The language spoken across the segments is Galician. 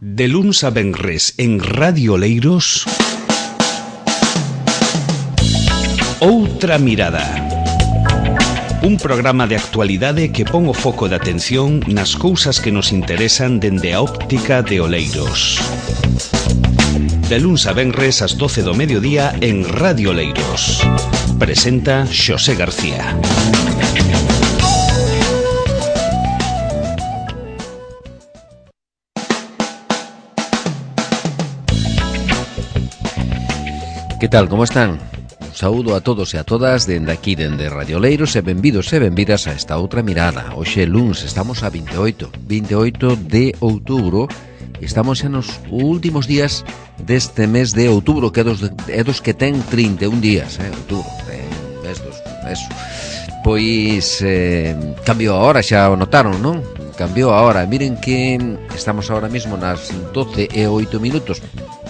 De luns a venres en Radio Oleiros, Outra Mirada. Un programa de actualidade que pon o foco de atención nas cousas que nos interesan dende a óptica de Oleiros. De luns a venres ás 12 do mediodía en Radio Oleiros. Presenta Xosé García. Que tal, como están? Un saúdo a todos e a todas dende aquí, dende Radio Oleiros, e benvidos e benvidas a esta outra mirada. Hoxe luns, estamos a 28 de outubro, e estamos xa nos últimos días deste mes de outubro, que é dos que ten 31 días, outubro, mes dos, eso. Pois, cambiou a hora, xa o notaron, non? Cambiou a hora, miren que estamos ahora mesmo nas 12 e 8 minutos,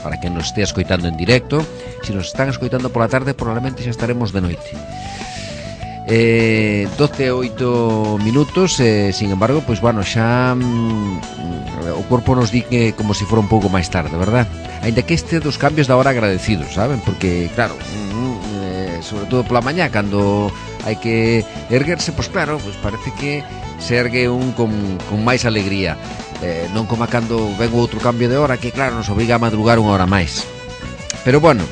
para que nos estea escoitando en directo. Se nos están escoitando pola tarde, probablemente xa estaremos de noite. 12 e 8 minutos, sin embargo, pois bueno, xa o corpo nos di que como se fora un pouco máis tarde, verdad? Ainda que este dos cambios da hora agradecidos, saben? Porque, claro, sobre todo pola mañá, cando hai que erguerse, pois claro, pois parece que se ergue un con máis alegría. Non como cando ven outro cambio de hora que claro nos obriga a madrugar unha hora máis. Pero bueno,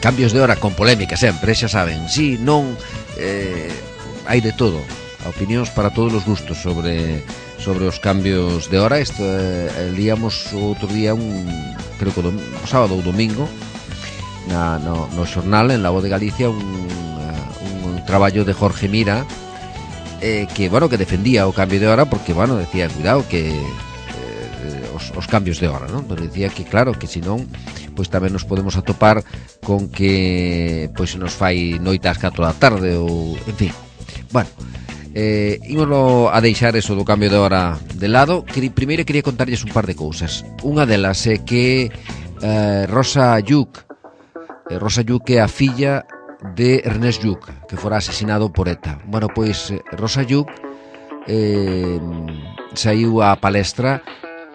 cambios de hora con polémica sempre, xa saben. Si, non, hai de todo. Opinións para todos os gustos sobre os cambios de hora. Isto líamos outro día creo que o sábado ou domingo no xornal en La Voz de Galicia un traballo de Jorge Mira, que, bueno, que defendía o cambio de hora porque, bueno, decía, cuidado que os cambios de hora, non? Pero decía que, claro, que senón pois tamén nos podemos atopar con que pois se nos fai noite ás 4 da tarde ou, en fin. Bueno, ímoslo a deixar eso do cambio de hora de lado. Primeiro quería contarlles un par de cousas. Unha delas é que Rosa Lluc é a filla de Ernest Lluch, que fora asesinado por ETA. Bueno, pois Rosa Lluch saiu á palestra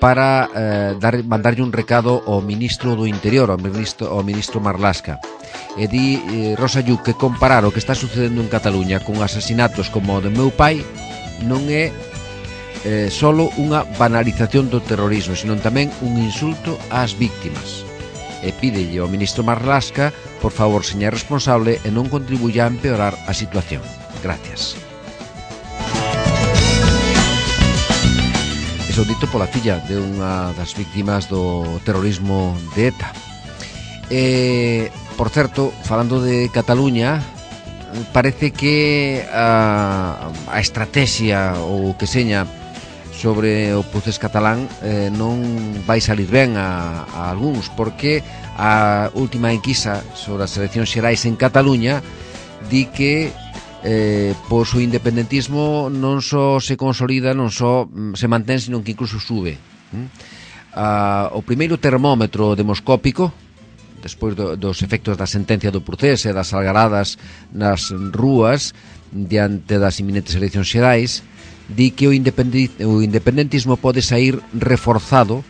para mandarlle un recado ao ministro do Interior, ao ministro Marlaska. E di Rosa Lluch que comparar o que está sucedendo en Cataluña con asasinatos como o do meu pai non é solo unha banalización do terrorismo, sino tamén un insulto ás víctimas. E pídelle ao ministro Marlaska, por favor, seña responsable e non contribuya a empeorar a situación. Gracias. Eso dito pola filla de unha das víctimas do terrorismo de ETA. Por certo, falando de Cataluña, parece que a estrategia ou que seña sobre o procés catalán non vai salir ben a algúns, porque a última enquisa sobre as eleccións xerais en Cataluña di que pois o independentismo non só se consolida, non só se mantén, sino que incluso sube. O primeiro termómetro demoscópico, despois dos efectos da sentencia do procés e das algaradas nas rúas diante das inminentes eleccións xerais, di que o independentismo pode sair reforzado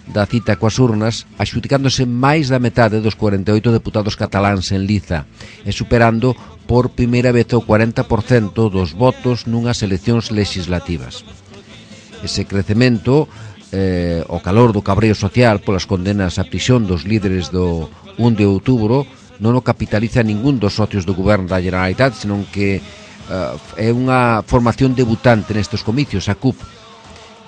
da cita coas urnas, axudicándose máis da metade dos 48 deputados cataláns en liza e superando por primeira vez o 40% dos votos nunhas eleccións legislativas. Ese crecemento, o calor do cabreo social polas condenas á prisión dos líderes do 1 de outubro, non o capitaliza ningún dos socios do goberno da Generalitat, senón que é unha formación debutante nestes comicios, a CUP,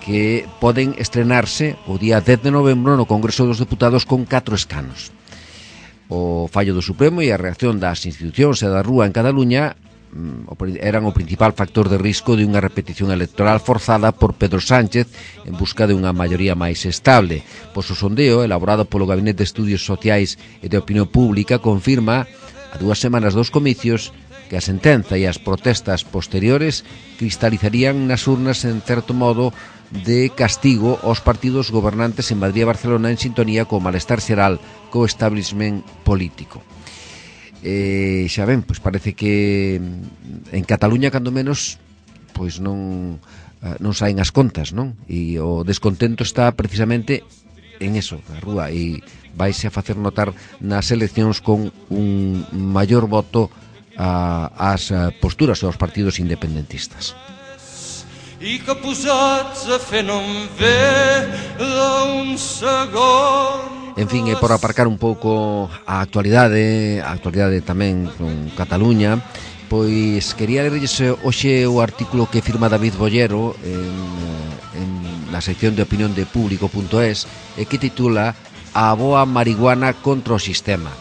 que poden estrenarse o día 10 de novembro no Congreso dos Deputados con 4 escanos. O fallo do Supremo e a reacción das institucións e da rúa en Cataluña eran o principal factor de risco de unha repetición electoral forzada por Pedro Sánchez en busca de unha maioría máis estable. Pois o sondeo, elaborado polo Gabinete de Estudios Sociais e de Opinión Pública, confirma a 2 semanas dos comicios que a sentenza e as protestas posteriores cristalizarían nas urnas en certo modo de castigo aos partidos gobernantes en Madrid e Barcelona en sintonía co malestar xeral co establishment político. Xa ven, pois parece que en Cataluña, cando menos, pois non non saen as contas, non? E o descontento está precisamente en eso, na rúa, e vaise a facer notar nas eleccións con un maior voto ás posturas aos partidos independentistas. I que posats a fer no em ve d'un segon. En fin, por aparcar un pouco a actualidade tamén con Cataluña, pois quería lerlles hoxe o artículo que firma David Bollero en na sección de opinión de público.es e que titula A boa marihuana contra o sistema.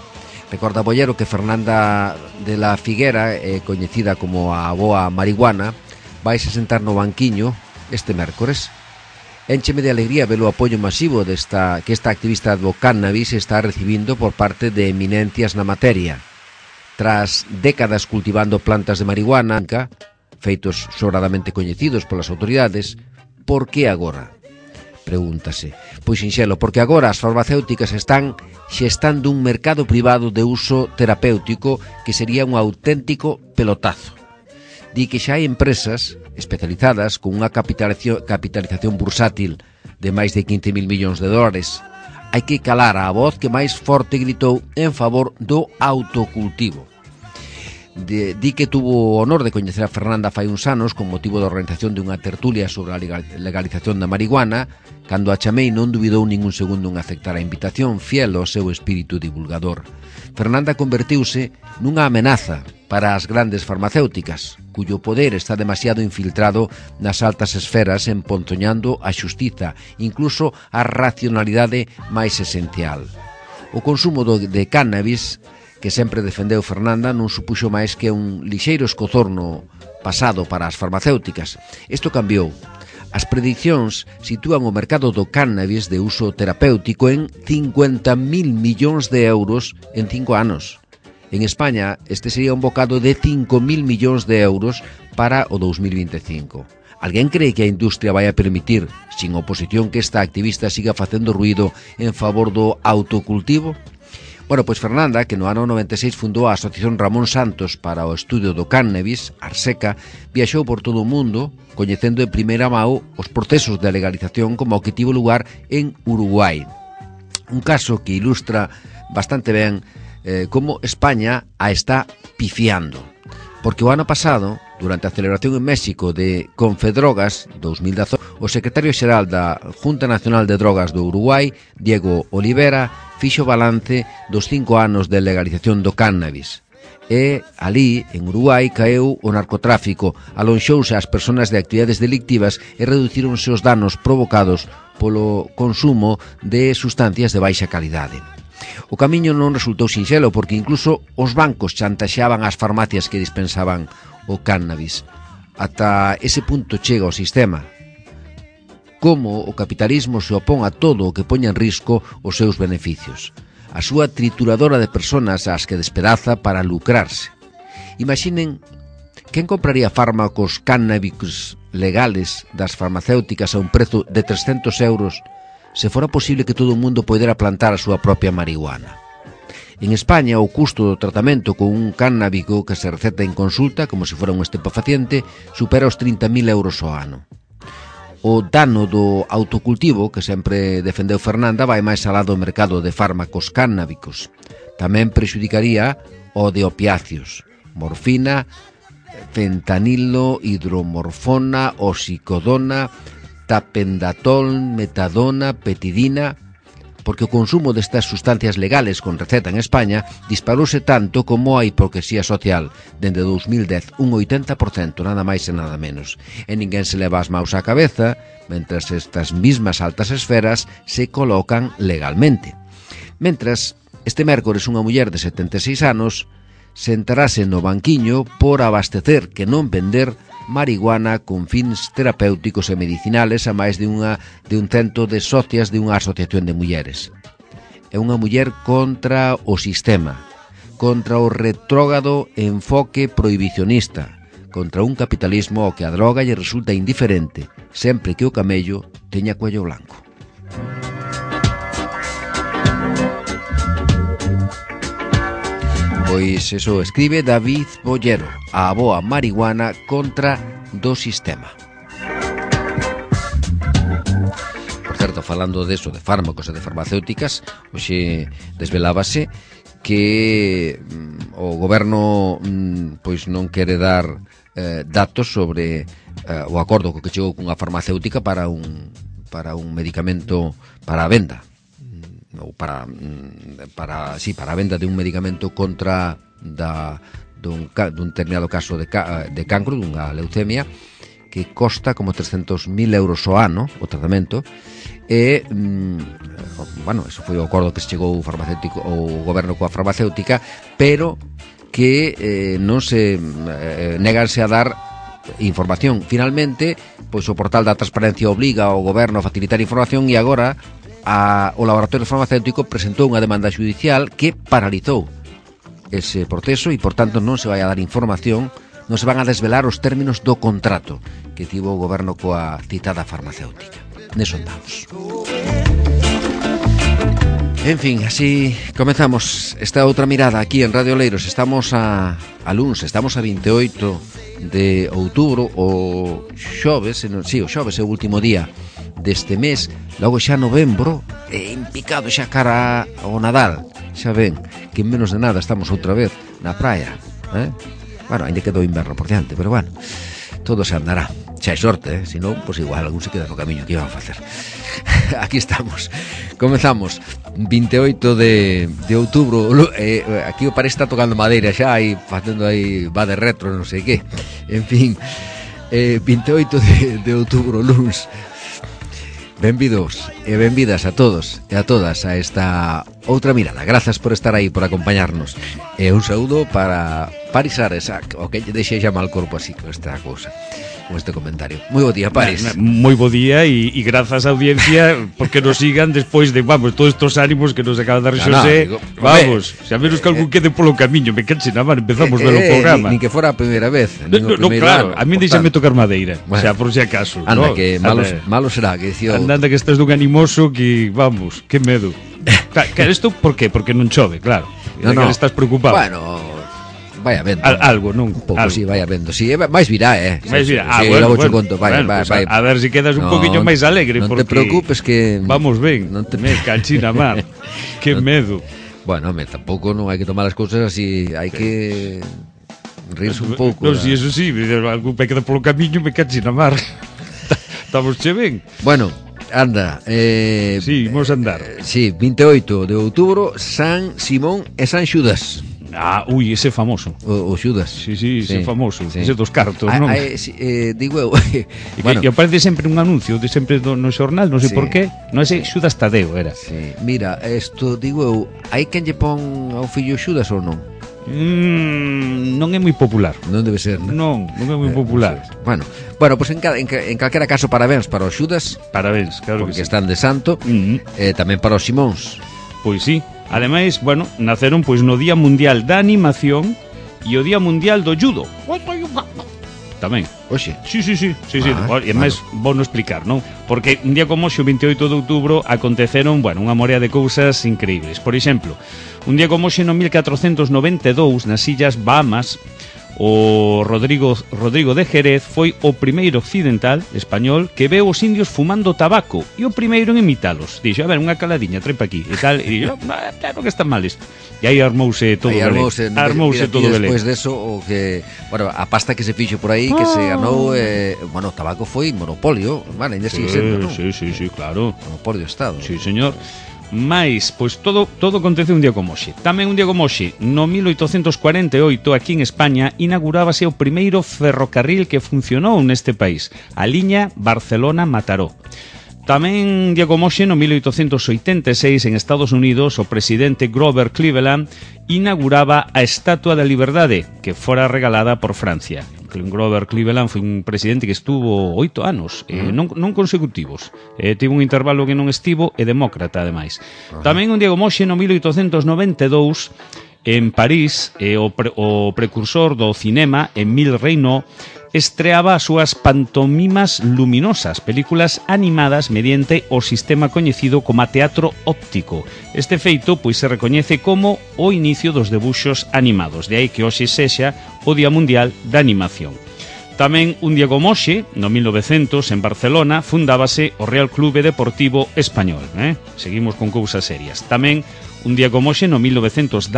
Recorda Bollero que Fernanda de la Figuera, coñecida como a boa marihuana, vaise sentar no banquiño este mércores. Éncheme de alegría ver o apoio masivo que esta activista do cannabis está recibindo por parte de eminencias na materia. Tras décadas cultivando plantas de marihuana, feitos sobradamente coñecidos polas autoridades, por que agora? Pregúntase. Pois sinxelo, porque agora as farmacéuticas están xestando un mercado privado de uso terapéutico que sería un auténtico pelotazo. Di que xa hai empresas especializadas con unha capitalización bursátil de máis de 15.000 millóns de dólares. Hai que calar a voz que máis forte gritou en favor do autocultivo. Di que tuvo o honor de coñecer a Fernanda fai uns anos con motivo da organización dunha tertulia sobre a legalización da marihuana. Cando a chamei non dubidou ningún segundo en aceptar a invitación, fiel ao seu espírito divulgador. Fernanda convertiuse nunha amenaza para as grandes farmacéuticas, cuyo poder está demasiado infiltrado nas altas esferas, emponzoñando a xustiza, incluso a racionalidade máis esencial. O consumo de cannabis, que sempre defendeu Fernanda, non supuxo máis que un lixeiro escozorno pasado para as farmacéuticas. Isto cambiou. As predicións sitúan o mercado do cannabis de uso terapéutico en 50.000 millóns de euros en 5 anos. En España, este sería un bocado de 5.000 millóns de euros para o 2025. Alguén cree que a industria vai a permitir, sin oposición, que esta activista siga facendo ruído en favor do autocultivo? Bueno, pois Fernanda, que no ano 96 fundou a Asociación Ramón Santos para o estudio do cannabis, Arseca, viaxou por todo o mundo, coñecendo en primeira mão os procesos de legalización como o que tivo lugar en Uruguai. Un caso que ilustra bastante ben como España a está pifiando. Porque o ano pasado, durante a celebración en México de Confedrogas 2018, o secretario xeral da Junta Nacional de Drogas do Uruguai, Diego Olivera, fixo balance dos 5 anos de legalización do cannabis. E ali, en Uruguai, caeu o narcotráfico, alonxouse as persoas de actividades delictivas e reducironse os danos provocados polo consumo de sustancias de baixa calidade. O camiño non resultou sinxelo porque incluso os bancos chantaxeaban as farmacias que dispensaban o cannabis. Ata ese punto chega o sistema. Como o capitalismo se opón a todo o que poña en risco os seus beneficios. A súa trituradora de personas ás que despedaza para lucrarse. Imaginen quen compraría fármacos cannábicos legales das farmacéuticas a un prezo de 300 euros se fora posible que todo o mundo poidera plantar a súa propia marihuana. En España, o custo do tratamento con un cannábico que se receta en consulta, como se fora un estupefaciente, supera os 30.000 euros ao ano. O dano do autocultivo, que sempre defendeu Fernanda, vai máis alá do mercado de fármacos cannábicos. Tamén prexudicaría o de opiáceos, morfina, fentanilo, hidromorfona, oxicodona, tapendatol, metadona, petidina, porque o consumo destas sustancias legales con receta en España disparouse tanto como a hipocresía social. Dende 2010, un 80%, nada máis e nada menos. E ninguén se leva as maus á cabeza, mentras estas mismas altas esferas se colocan legalmente. Mentras, este mércores unha muller de 76 anos sentarase no banquiño por abastecer, que non vender, marihuana con fins terapéuticos e medicinales a máis de un cento de socias de unha asociación de mulleres. É unha muller contra o sistema, contra o retrógrado enfoque prohibicionista, contra un capitalismo ao que a droga lle resulta indiferente, sempre que o camello teña cuello blanco. Pois eso escribe David Bollero, a boa marihuana contra do sistema. falando de fármacos e de farmacéuticas, hoxe desvelábase que o goberno pois non quere dar datos sobre o acordo co que chegou cunha farmacéutica para un medicamento para a venda, ou para a venda de un medicamento contra dun determinado caso de cancro, dunha leucemia, que costa como 300.000 euros ao ano o tratamento. E eso foi o acordo que se chegou o goberno coa farmacéutica, pero que non se neganse a dar información. Finalmente, pois o portal da transparencia obriga ao goberno a facilitar información, e agora o laboratorio farmacéutico presentou unha demanda judicial que paralizou ese proceso e, por tanto, non se vai a dar información, non se van a desvelar os términos do contrato que tivo o goberno coa citada farmacéutica. Neso andamos. En fin, así comezamos esta outra mirada aquí en Radio Oleiros. Estamos a luns, estamos a 28 de outubro, o xoves, o xoves é o último día deste mes. Logo xa novembro, empicado xa cara ao Nadal. Xa ven que en menos de nada estamos outra vez na praia, Bueno, ainda quedou inverno por diante, pero bueno, todo se andará. Xa é sorte, se non, pois igual algún se queda no camiño. Que iban a facer? Aquí estamos. Comezamos 28 de outubro. Aquí parece está tocando madeira xa, aí facendo aí va de retro, non sei que. En fin, 28 de outubro, luns. Benvidos e benvidas a todos e a todas a esta outra mirada. Grazas por estar aí, por acompañarnos. E un saúdo para Paris Ares, o que deixei xa mal corpo así con esta cousa, con este comentario. Moi bo día, Paris. Moi bo día e grazas á audiencia porque nos sigan despois de, todos estos ánimos que nos acaba de dar Xosé. Xa menos que algún quede polo camiño. Me canse na man, empezamos pelo programa. Nin que fora a primeira vez. No, claro, a mí deixame tocar madeira, xa por si acaso. Anda, que malo será, que dicía... Anda que estás dun animoso que, que medo. Claro, isto por qué? Porque non chove, claro. No. Que estás preocupado. Bueno, vai habendo algo, non? Un pouco, si, vai habendo. Si, máis virá, máis virá. Bueno, conto, vai. A ver se quedas un poquinho máis alegre, non porque te preocupes que vamos ben. Me canchina mar. Que medo. Bueno, tampouco non hai que tomar as cousas así, hai que rirse un pouco. Non, si eso sí, algún pe queda polo camiño me canchina mar. Estamos che ben. Bueno, anda, sí, vamos a andar. Sí, 28 de outubro, San Simón e San Xudas. Ese famoso. O Xudas. Sí, ese famoso. Sí. Ese dos cartos, non? Digo eu. Bueno, e aparece sempre un anuncio de sempre no xornal, non sei por qué. Non sei, Xudas Tadeo era. Sí. Mira, isto digo eu, hai quen lle pon ao fillo Xudas ou non? Non é moi popular. Non debe ser, non é moi popular. Bueno, pois en calquera caso, parabéns para os Xudas. Parabéns, claro que sí. Porque están de santo. Tamén para os Simóns. Pois sí. Ademais, naceron pois no Día Mundial da Animación e o Día Mundial do Judo. Tamén. Oxe. Sí. E máis vou non explicar, non? Porque un día como hoxe, o 28 de outubro, aconteceron, unha morea de cousas increíbles. Por exemplo, un día como hoxe no 1492, nas Illas Bahamas, o Rodrigo de Jerez foi o primeiro occidental español que veu os indios fumando tabaco e o primeiro en imitalos. Dixo, a ver, unha caladiña, trepa aquí e tal, e dixo, claro que está mal isto. E aí armouse todo o belén. Armouse todo o belén. Despois deso, o que, a pasta que se fixo por aí, que se ganou, o tabaco foi monopolio, ainda sigue sendo, non? Sí, claro. Monopolio do Estado. Sí, señor. Mais, pois todo acontece un día como hoxe. Tamén un día como hoxe, no 1848, aquí en España, inaugurábase o primeiro ferrocarril que funcionou neste país, a liña Barcelona-Mataró. Tamén un día como hoxe, no 1886, en Estados Unidos, o presidente Grover Cleveland inauguraba a Estatua da Liberdade, que fora regalada por Francia. Grover Cleveland foi un presidente que estuvo 8 anos, non consecutivos. Tivo un intervalo que non estivo, e demócrata, ademais. Tamén un día como hoxe, no 1892, en París, o precursor do cinema, Émile Reynaud, estreaba as súas pantomimas luminosas, películas animadas mediante o sistema coñecido como teatro óptico. Este feito pois se recoñece como o inicio dos debuxos animados, de aí que hoxe sexa o Día Mundial da Animación. Tamén un día como hoxe, no 1900, en Barcelona, fundábase o Real Clube Deportivo Español. Seguimos con cousas serias. Tamén un día como hoxe, no 1918,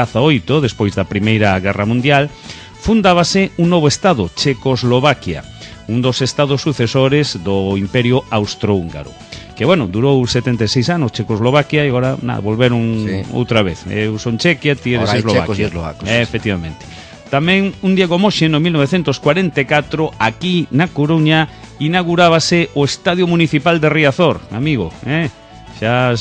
despois da Primeira Guerra Mundial, fundábase un novo estado, Checoslovaquia, un dos estados sucesores do Imperio Austrohúngaro. Que, bueno, durou 76 anos Checoslovaquia e agora, nada, volveron outra vez. Eu son Chequia, ti eres Eslovaquia. Efectivamente. Tamén un día como hoxe, no 1944, aquí na Coruña, inaugurábase o Estadio Municipal de Riazor, amigo, xa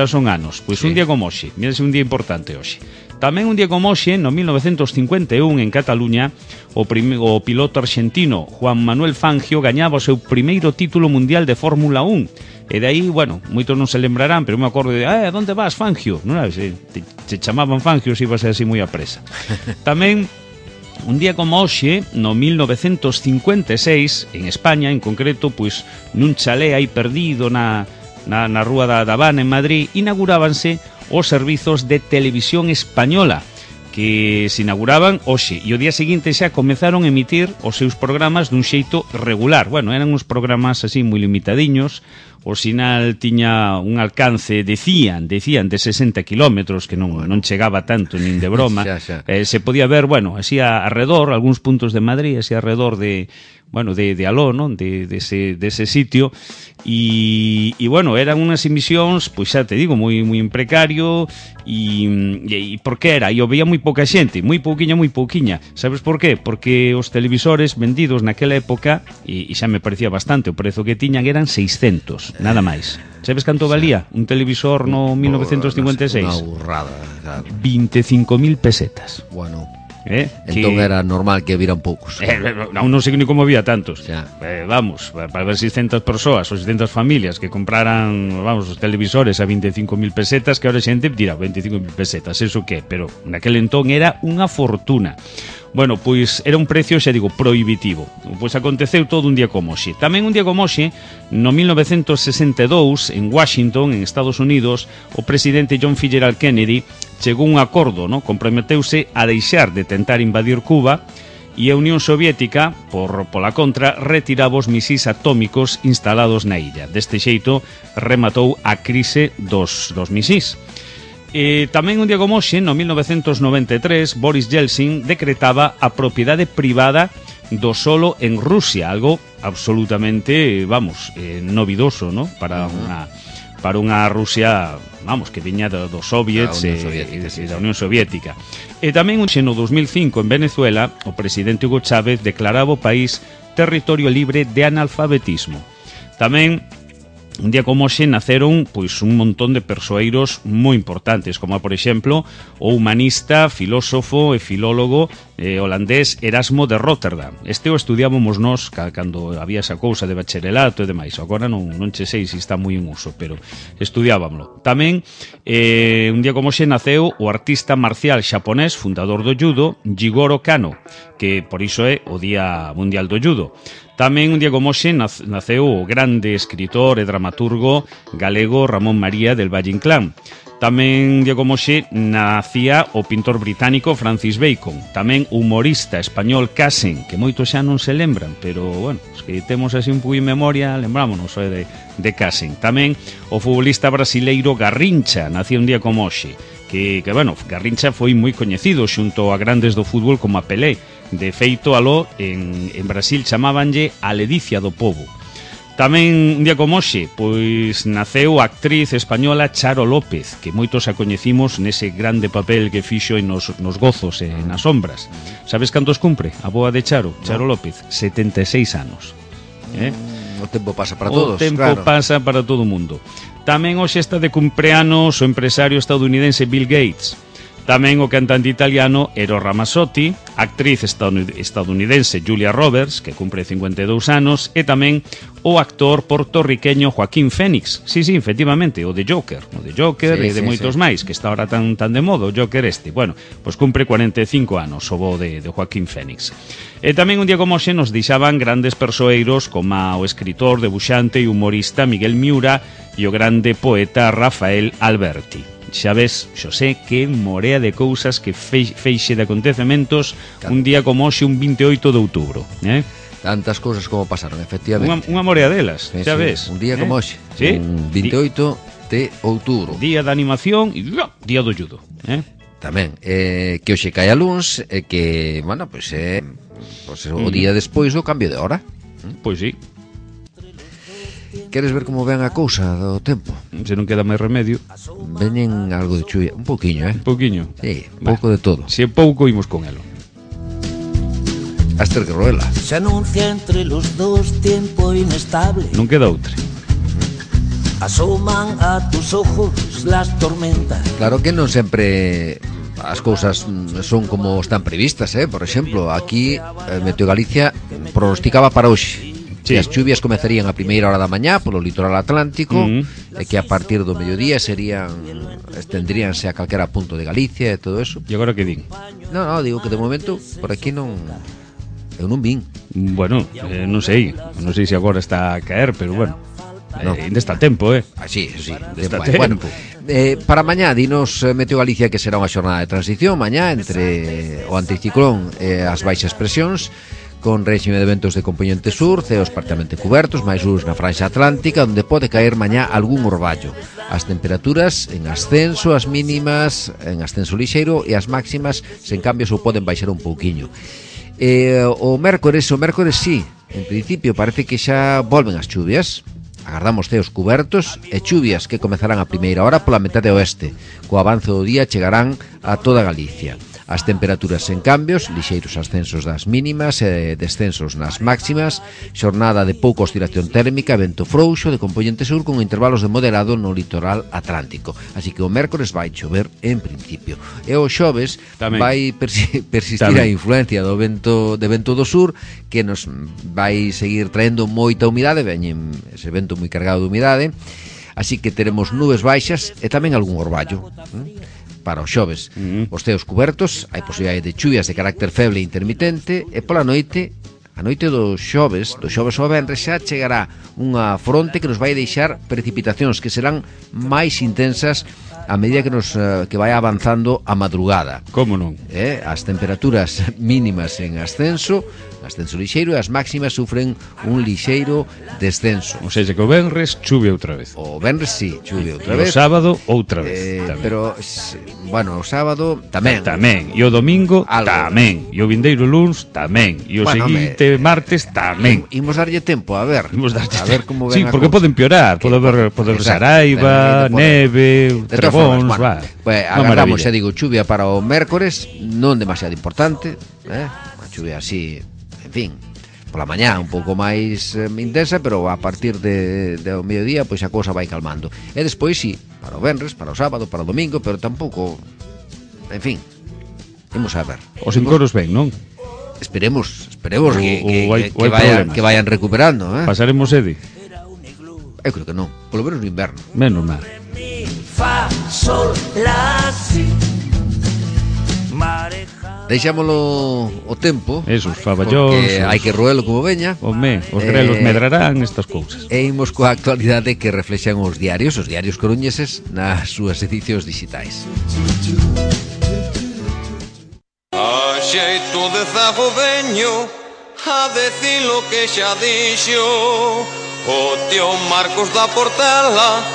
son anos. Pois un día como hoxe, mírase un día importante hoxe. Tamén un día como hoxe, no 1951, en Cataluña, o piloto argentino Juan Manuel Fangio gañaba o seu primeiro título mundial de Fórmula 1. E de aí, bueno, moitos non se lembrarán, pero me acordo de, onde vas, Fangio? Non, se chamaban Fangio, se ibas así moi a presa. Tamén un día como hoxe, no 1956, en España, en concreto, pois nun chalé aí perdido na Rúa da Habana, en Madrid, inaugurábanse os servizos de televisión española, que se inauguraban hoxe, e o día seguinte xa comenzaron a emitir os seus programas dun xeito regular. Bueno, eran uns programas así moi limitadiños, o sinal tiña un alcance, decían de 60 kilómetros, que non chegaba tanto nin de broma. Se podía ver, bueno, así alrededor, algúns puntos de Madrid, así alrededor de aló, non? De ese sitio, e bueno, eran unhas emisións, pois xa te digo, moi precario, e por que era? E o veía moi pouca xente, moi pouquiña. Sabes por qué? Porque os televisores vendidos naquela época, e xa me parecía bastante, o prezo que tiñan eran 600, nada máis. Sabes canto valía un televisor no 1956? Unha burrada, claro. 25.000 pesetas. Bueno, entón era normal que vieran poucos. Non sei ni como había tantos. Vamos, para ver 600 persoas ou 600 familias que compraran, vamos, os televisores a 25.000 pesetas, que ahora a xente dirá 25.000 pesetas, eso que, pero naquele entón era unha fortuna. Bueno, pois era un precio, xa digo, prohibitivo. Pois aconteceu todo un día como hoxe. Tamén un día como hoxe, no 1962, en Washington, en Estados Unidos, o presidente John F. Kennedy chegou a un acordo, comprometeuse a deixar de tentar invadir Cuba, e a Unión Soviética, pola contra, retiraba os misís atómicos instalados na illa. Deste xeito, rematou a crise dos misís. Tamén un día como hoxe, no 1993, Boris Yeltsin decretaba a propiedade privada do solo en Rusia, algo absolutamente, vamos, novidoso, ¿no? Para unha Rusia, vamos, que viña dos soviets e da Unión Soviética. E tamén no 2005, en Venezuela, o presidente Hugo Chávez declaraba o país territorio libre de analfabetismo. Tamén un día como hoxe naceron pois un montón de persoeiros moi importantes, como por exemplo o humanista, filósofo e filólogo holandés Erasmo de Rotterdam. Este o estudiábamos nós cando había esa cousa de bacharelato e demais. Agora non che sei se está moi en uso, pero estudiábamlo. Tamén un día como hoxe naceu o artista marcial xaponés, fundador do judo, Jigoro Kano, que por iso é o Día Mundial do Judo. Tamén un día como hoxe naceu o grande escritor e dramaturgo galego Ramón María del Valle Inclán. Tamén un día como hoxe nacía o pintor británico Francis Bacon. Tamén o humorista español Casen, que moitos xa non se lembran, pero, bueno, os que temos así un pouco en memoria, lembrámonos de Casen. Tamén o futbolista brasileiro Garrincha nacía un día como hoxe, que bueno, Garrincha foi moi coñecido xunto a grandes do fútbol como a Pelé. De feito, aló, en Brasil chamábanlle a ledicia do pobo. Tamén un día como hoxe, pois naceu a actriz española Charo López, que moitos a coñecimos nese grande papel que fixo nos Gozos e nas Sombras. Sabes cantos cumpre a boa de Charo López? 76 anos. O tempo pasa para todos. O tempo pasa para todo o mundo. Tamén hoxe está de cumpleanos o empresario estadounidense Bill Gates. Tamén o cantante italiano Eros Ramazzotti, actriz estadounidense Julia Roberts, que cumpre 52 anos, e tamén o actor portorriqueño Joaquín Phoenix. Sí, efectivamente, o de Joker e de moitos máis, que está ahora tan de moda, o Joker este. Bueno, pois cumpre 45 anos o bo de Joaquín Phoenix. E tamén un día como hoxe nos deixaban grandes persoeiros como o escritor, debuxante e humorista Miguel Miura e o grande poeta Rafael Alberti. Xa ves, Xosé, que morea de cousas, que feixe de acontecementos un día como hoxe, un 28 de outubro, Tantas cousas como pasaron, efectivamente. Unha morea delas, Sí, xa sí, ves. un día como hoxe, Sí. un 28 de outubro. Día da animación e día do judo, Tamén, que hoxe cae a luns, que, bueno, pois é o día despois do cambio de hora. Pois sí, Queres ver como ven a cousa do tempo? se non queda máis remedio. Veñen algo de chuvia, un pouquiño, Un pouquiño. Sí, pouco de todo. Se é pouco, imos con elo. Aster Guerrero. Se anuncia entre los dos tiempo inestable. Non queda outra. Asoman a tus ojos las tormentas. Claro que non sempre as cousas son como están previstas, Por exemplo, aquí Meteo Galicia pronosticaba para hoxe que as chuvias comezarían a primeira hora da mañá polo litoral atlántico e que a partir do mediodía estendríanse a calquera punto de Galicia e todo eso. E agora que din? No, digo que de momento por aquí non eu non vin. Bueno, non sei se agora está a caer, pero bueno, ainda está a tempo, Sí. Está Bueno, tempo. para mañá dinos Meteo Galicia que será unha xornada de transición mañá entre o anticiclón e as baixas presións, con réxime de ventos de componente sur, ceos parcialmente cubertos, máis luz na franxa atlántica, onde pode caer mañá algún orballo. As temperaturas en ascenso, as mínimas en ascenso lixeiro e as máximas, sen cambios, ou poden baixar un pouquiño. O mércores sí, en principio parece que xa volven as chuvias. Agardamos ceos cubertos e chuvias que comezarán a primeira hora pola metade oeste. Co avance do día chegarán a toda Galicia. As temperaturas sen cambios, lixeiros ascensos das mínimas e descensos nas máximas, xornada de pouca oscilación térmica, vento frouxo de componente sur con intervalos de moderado no litoral atlántico. Así que o mércores vai chover en principio. E o xoves Tamén. vai persistir Tamén. a influencia do vento do sur, que nos vai seguir traendo moita humidade, veñen ese vento moi cargado de humidade, así que teremos nubes baixas e tamén algún orballo. Para os xoves, os ceos cubertos, hai posibilidade de chuvias de carácter feble e intermitente, e pola noite, a noite do xoves ao venres, xa chegará unha fronte que nos vai deixar precipitacións que serán máis intensas a medida que vai avanzando a madrugada. Como non? As temperaturas mínimas en ascenso lixeiro, e as máximas sufren un lixeiro descenso. O sea, que o venres chuve outra vez. O venres sí, chuve outra E o vez. sábado outra vez. Tamén. Pero, bueno, o sábado tamén. E o domingo Algo. tamén. E o vindeiro luns tamén. E o seguinte martes tamén. Imos darlle tempo, a ver. A ver como ven Sí, a porque cousa. poden piorar. Pode haber saraiva, neve, De todas formas, trebóns, bueno, pues, agardamos, xa digo, chuvia para o mércores, non demasiado importante, unha chuvia así, en fin, pola mañá un pouco máis intensa, pero a partir do mediodía pois a cousa vai calmando. E despois sí, para o venres, para o sábado, para o domingo, pero tampouco, en fin, imos a ver. Os encoros ben, non? Esperemos que vayan recuperando, Pasaremos sede? Eu creo que non, polo menos no inverno. Menos mal. Fa, sol, la, si. Deixámolo o tempo. Esos faballóns. Porque hai que roelo como veña. Home, os grelos medrarán estas cousas. E imos coa actualidade que reflexan os diarios coruñeses nas súas edicións digitais. A xeito de zago veño a decir lo que xa dixo o tío Marcos da Portela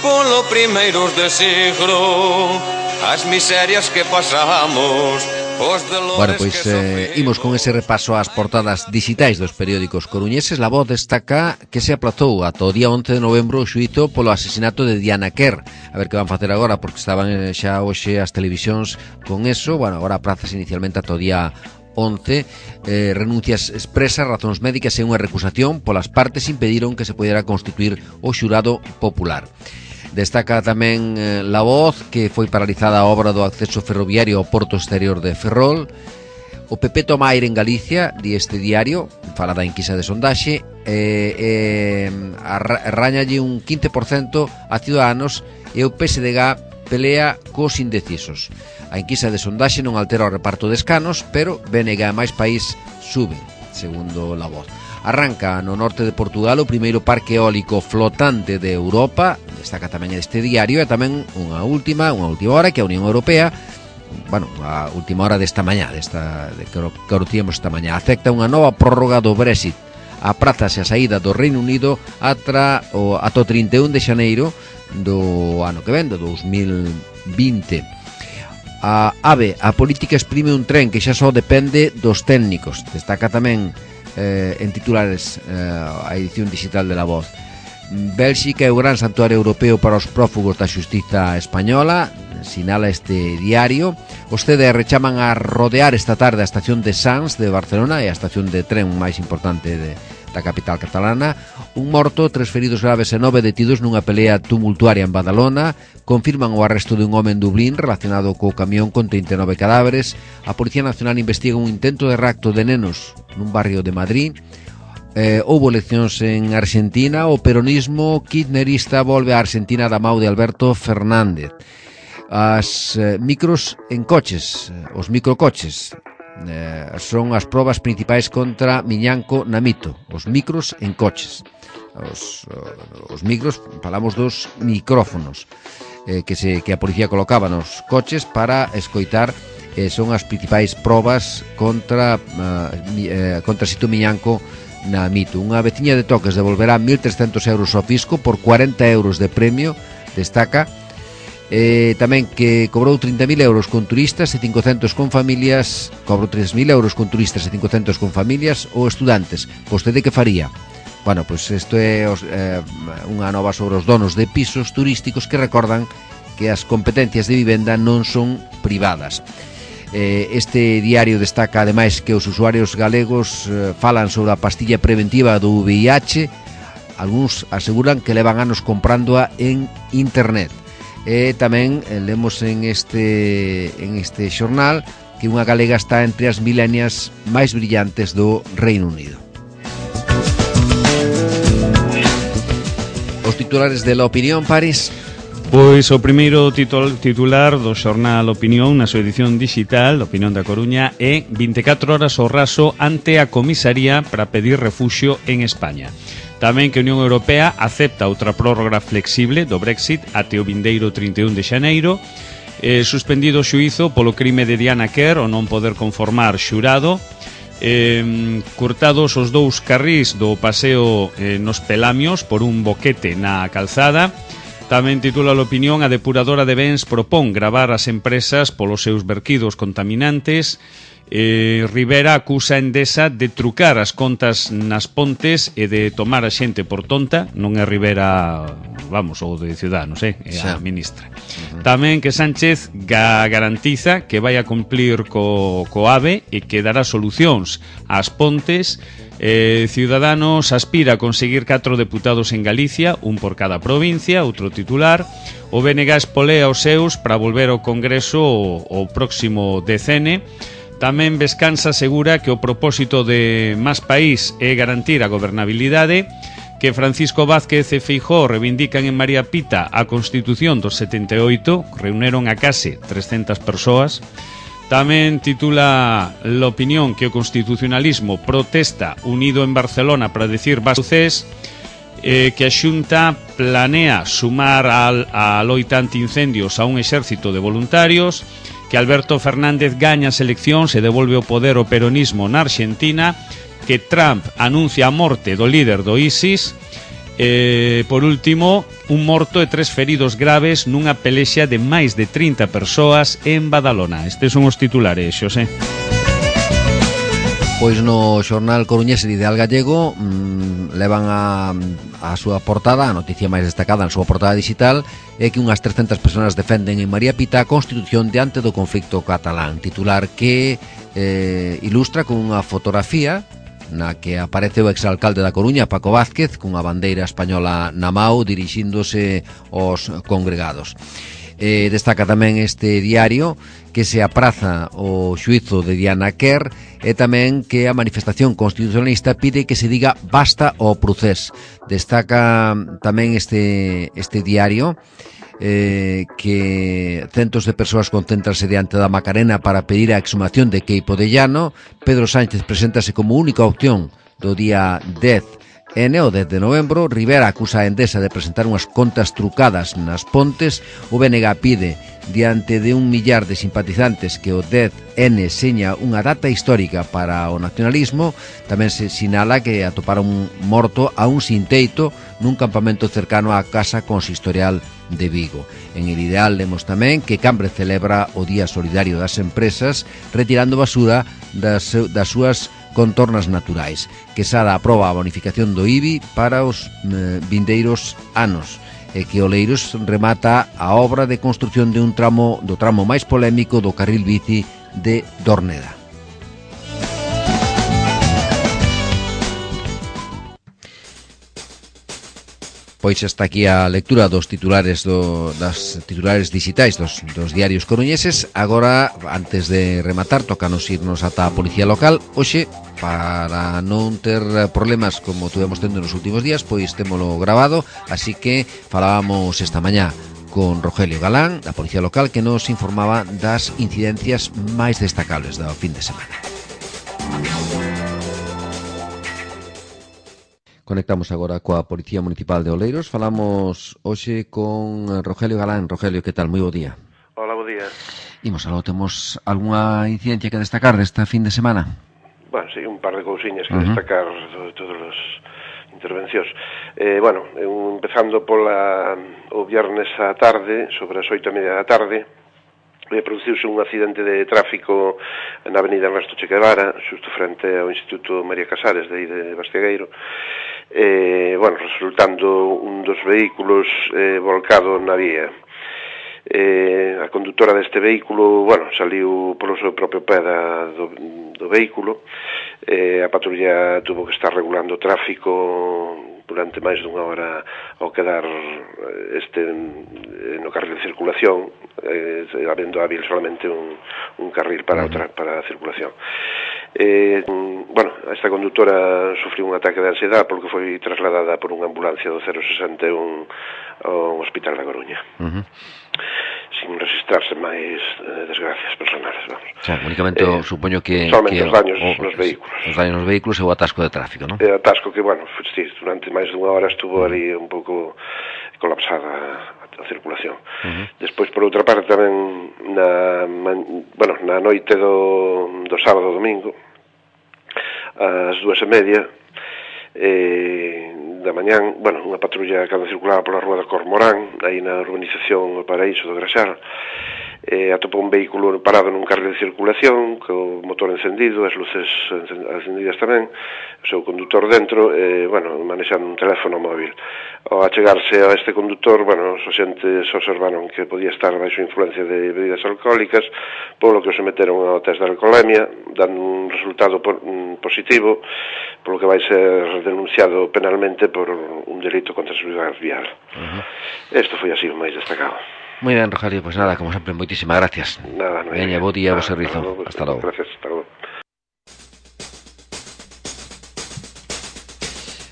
polo primeiros de siglo. As miserias que pasamos. Bueno, pois imos con ese repaso ás portadas digitais dos periódicos coruñeses. La Voz destaca que se aplazou ata o día 11 de novembro o xuízo polo asesinato de Diana Kerr. A ver que van facer agora, porque estaban xa hoxe as televisións con eso. Bueno, agora aplazas inicialmente ata o día 11. Renuncias expresas, razóns médicas e unha recusación polas partes impediron que se pudera constituir o xurado popular. Destaca tamén La Voz que foi paralizada a obra do acceso ferroviario ao porto exterior de Ferrol. O PP toma aire en Galicia, di este diario, fala da enquisa de sondaxe, arráñalle un 15% a Ciudadanos e o PSDG pelea cos indecisos. A enquisa de sondaxe non altera o reparto de escanos, pero BNG e Máis País suben, segundo La Voz. Arranca no norte de Portugal o primeiro parque eólico flotante de Europa, destaca tamén este diario, e tamén unha última hora que a Unión Europea a última hora desta mañá, que conocíamos esta mañá. Acepta unha nova prórroga do Brexit. Aprázase a saída do Reino Unido ata o 31 de xaneiro do ano que ven, do 2020. A AVE, a política exprime un tren que xa só depende dos técnicos. Destaca tamén en titulares a edición digital de La Voz. Bélxica é o gran santuario europeo para os prófugos da xustiza española, sinala este diario. Os CDR chaman a rodear esta tarde a estación de Sants de Barcelona, e a estación de tren máis importante da capital catalana. Un morto, 3 feridos graves e 9 detidos nunha pelea tumultuaria en Badalona. Confirman o arresto dun home en Dublín relacionado co camión con 39 cadáveres. A Policía Nacional investiga un intento de rapto de nenos nun barrio de Madrid. Houbo eleccións en Argentina. O peronismo kirchnerista volve a Argentina da mão de Alberto Fernández. As micros en coches, os microcoches, son as probas principais contra Miñanco na Mito. Os micros en coches. Os micros, falamos dos micrófonos que a policía colocaba nos coches para escoitar. Son as principais probas contra Sito Miñanco na Mito. Unha veciña de Toques devolverá 1.300 euros ao fisco por 40 euros de premio, destaca. Tamén que cobrou 30.000 euros con turistas e 500 con familias. Cobrou 3.000 euros con turistas e 500 con familias ou estudantes. Vostede que faría? Bueno, pois isto é unha nova sobre os donos de pisos turísticos que recordan que as competencias de vivenda non son privadas. Este diario destaca ademais que os usuarios galegos falan sobre a pastilla preventiva do VIH. Algúns aseguran que levan anos comprándoa en internet. E tamén lemos en este xornal que unha galega está entre as milenias máis brillantes do Reino Unido. Os titulares de La Opinión, París. Pois o primeiro titular do xornal Opinión na súa edición digital, Opinión da Coruña, é 24 horas ao raso ante a comisaría para pedir refuxio en España. Tamén que a Unión Europea acepta outra prórroga flexible do Brexit até o vindeiro 31 de xaneiro. Suspendido o xuízo polo crime de Diana Kerr o non poder conformar xurado. Cortados os 2 carrís do paseo nos Pelamios por un boquete na calzada. Tamén titula a Opinión: a depuradora de bens propón gravar as empresas polos seus verquidos contaminantes. Rivera acusa a Endesa de trucar as contas nas Pontes e de tomar a xente por tonta. Non é Rivera, vamos, ou de Ciudadanos, é a ministra. Tamén que Sánchez garantiza que vai a cumplir co AVE e que dará solucións ás Pontes. Ciudadanos aspira a conseguir 4 deputados en Galicia, un por cada provincia. Outro titular: o BNG espolea os seus para volver ao Congreso o próximo decene. Tamén Vescansa asegura que o propósito de Más País é garantir a gobernabilidade. Que Francisco Vázquez e Feijóo reivindican en María Pita a Constitución dos 78, reuneron a case 300 persoas. Tamén titula La Opinión que o constitucionalismo protesta unido en Barcelona para decir basucés. Que a Xunta planea sumar a loita antiincendios a un exército de voluntarios. Que Alberto Fernández gaña as eleccións e devolve o poder ao peronismo na Argentina. Que Trump anuncia a morte do líder do ISIS. Por último, un morto e 3 feridos graves nunha pelexa de máis de 30 persoas en Badalona. Estes son os titulares, Xosé. Pois no xornal coruñés Ideal Gallego levan a súa portada, a noticia máis destacada na súa portada digital é que unhas 300 persoas defenden en María Pita a constitución diante do conflicto catalán. Titular que ilustra con unha fotografía na que aparece o exalcalde da Coruña, Paco Vázquez, cunha bandeira española na mao dirixíndose aos congregados. Destaca tamén este diario que se apraza o xuízo de Diana Kerr e tamén que a manifestación constitucionalista pide que se diga basta ao procés. Destaca tamén este diario que centos de persoas concéntranse diante da Macarena para pedir a exhumación de Queipo de Llano. Pedro Sánchez preséntase como única opción do día 10 o 10 de novembro. Rivera acusa a Endesa de presentar unhas contas trucadas nas Pontes. O BNG pide diante de 1 millar de simpatizantes que o 10N seña unha data histórica para o nacionalismo, tamén se sinala que atoparon morto a un sin teito nun campamento cercano á casa consistorial de Vigo. En El Ideal lemos tamén que Cambre celebra o Día Solidario das Empresas retirando basura das súas contornas naturais. Quesada aproba a bonificación do IBI para os vindeiros anos e que Oleiros remata a obra de construción do tramo máis polémico do carril bici de Dorneda. Pois está aquí a lectura dos titulares das titulares digitais dos diarios coruñeses. Agora, antes de rematar, tócanos irnos ata a Policía Local. Hoxe, para non ter problemas como tuvemos tendo nos últimos días, pois témolo grabado, así que falábamos esta mañá con Rogelio Galán, da Policía Local, que nos informaba das incidencias máis destacables do fin de semana. Conectamos agora coa Policía Municipal de Oleiros. Falamos hoxe con Rogelio Galán. Rogelio, que tal? Moi bo día. Hola, bo día. Imos aló, temos algunha incidencia que destacar desta fin de semana? Bueno, sí, un par de cousiñas que destacar de todas as intervencións. Empezando o viernes á tarde, sobre as 8:30 da tarde, produciuse un accidente de tráfico na avenida Ernesto Che Guevara, xusto frente ao Instituto María Casares de aí de Bastegueiro, resultando un dos vehículos volcado na vía. A condutora deste vehículo, saliu polo seu propio pé do vehículo. A patrulla tuvo que estar regulando o tráfico durante máis dunha hora ao quedar no carril de circulación, habendo hábil solamente un carril para a circulación. Esta condutora sufriu un ataque de ansiedade porque foi trasladada por unha ambulancia do 061 ao Hospital da Coruña. Sin registrarse máis desgracias personales, vamos. O sea, únicamente supoño que... Solamente os daños nos vehículos. Os daños nos vehículos e o atasco de tráfico, non? O atasco que, durante máis dunha hora estuvo ali un pouco colapsada a circulación. Despois, por outra parte, tamén na noite do sábado domingo, ás 2:30 da mañán, unha patrulla cando circulaba pola rúa da Cormorán, aí na urbanización O Paraíso do Graxar, atopou un vehículo parado nun carril de circulación, co motor encendido, as luces encendidas tamén, o seu condutor dentro, manexando un teléfono móvil. Ao achegarse a este condutor, os axentes observaron que podía estar baixo influencia de bebidas alcohólicas, polo que o someteron ao test de alcoholemia, dando un resultado positivo, polo que vai ser denunciado penalmente por un delito contra a seguridade vial. Isto foi así o máis destacado. Moi ben, Rogelio, pois nada, como sempre, moitísimas gracias. Nada, non hai. Veña, bo día, bo servizo. Hasta logo. Gracias, hasta logo.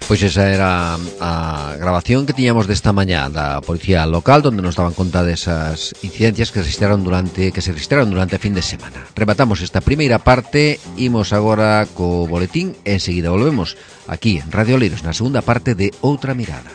Pois esa era a grabación que tiñamos desta mañá da Policía Local, onde nos daban conta desas incidencias que se registraron durante a fin de semana. Rematamos esta primeira parte, imos agora co boletín e enseguida volvemos aquí en Radio Oleiros na segunda parte de Outra Mirada.